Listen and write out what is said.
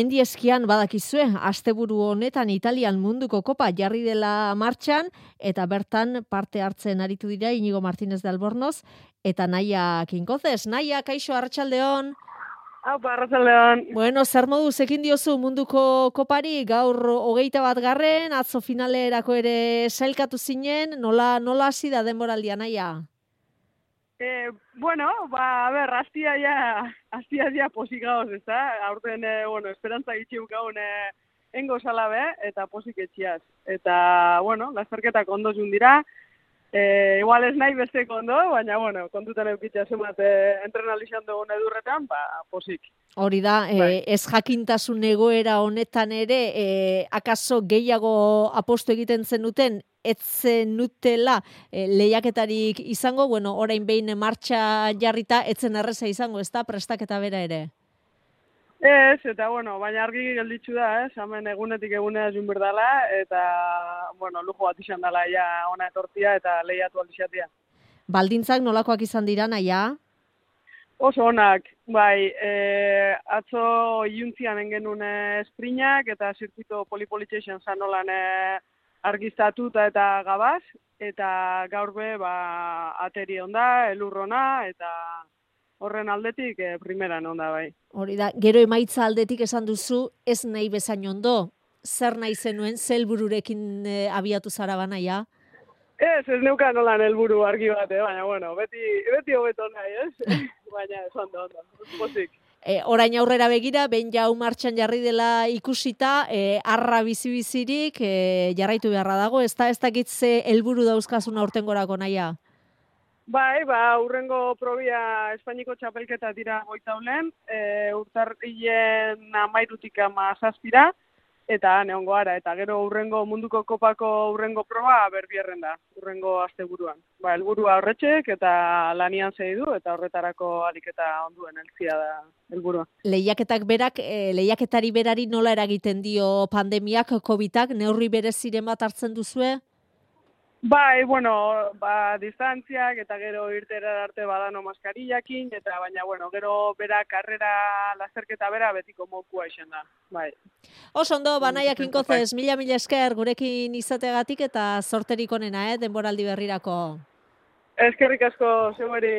Mendi eskian badakizue, asteburu honetan Italian munduko kopa jarri dela martxan, eta bertan parte hartzen aritu dira Inigo Martínez de Albornoz, eta Naia Kinkozes. Naia, kaixo, arratsaldeon. Aupa, arratsaldeon. Bueno, zer moduz ekin diozu munduko kopari, gaur 21. atzo finalerako ere sailkatu zinen, nola hasi da denboraldia, Naia? Hastia ja posik gauz, ez da? Aurten, esperantza gitxiuk gaun engo salabe, eta posik etxiaz. Eta, lasterketak ondo jun dira. Igual ez nahi besteko ondo, baina, kontutan eukitza zumat entrenalizan dugun edurretan, posik. Hori da, ez jakintasun egoera honetan ere, akaso gehiago apostu egiten zenuten, ez zenutela lehiaketarik izango, orain behin martxa jarrita, etzen erreza izango, ez da, prestaketa bera ere? Ez, eta baina argi gelditzu da, hemen egunetik egunea jun berdala, eta, lujo bat izan dela ja ona etortia eta lehiatu aldizatia. Baldintzak nolakoak izan dira, Naia? Oso onak, bai, atzo iuntzian engenun esprinak eta zirkuito polipolitxeixen zanolan argiztatuta eta gabaz, eta gaur be, ateri onda, elurrona, eta horren aldetik primeran onda, bai. Hori da, gero emaitza aldetik esan duzu, ez nahi bezain ondo, zer nahi zenuen, zelbururekin abiatu zara Naia? Ez neukan nolan helburu argi bat, baina, beti hobeto nahi, ez? Baina, ez ondo, pozik. Orain aurrera begira, behin jau martxan jarri dela ikusita, arra bizi-bizirik jarraitu beharra dago, ez dakitze helburu dauzkazun aurtengorako, Naia? Bai, urrengo probia Espainiko txapelketa dira goitaulen, urtarrilen 13 17 eta neongo ara, eta gero urrengo munduko kopako urrengo proba berbierren da, urrengo asteburuan. Helburua horretxek eta lanian zeidu, eta horretarako ariketa onduen eltzia da helburua. Lehiaketari berari nola eragiten dio pandemiak, COVID-ak, neurri bereziren bat hartzen duzue? Bai, distantziak eta gero irtera arte badano maskarillakin, eta baina, gero bera karrera lasterketa bera betiko mokua izan da, bai. Oso ondo, Naia Kinkozes, mila esker gurekin izateagatik eta zorterik onena, denboraldi berrirako. Eskerrik asko, zeueri.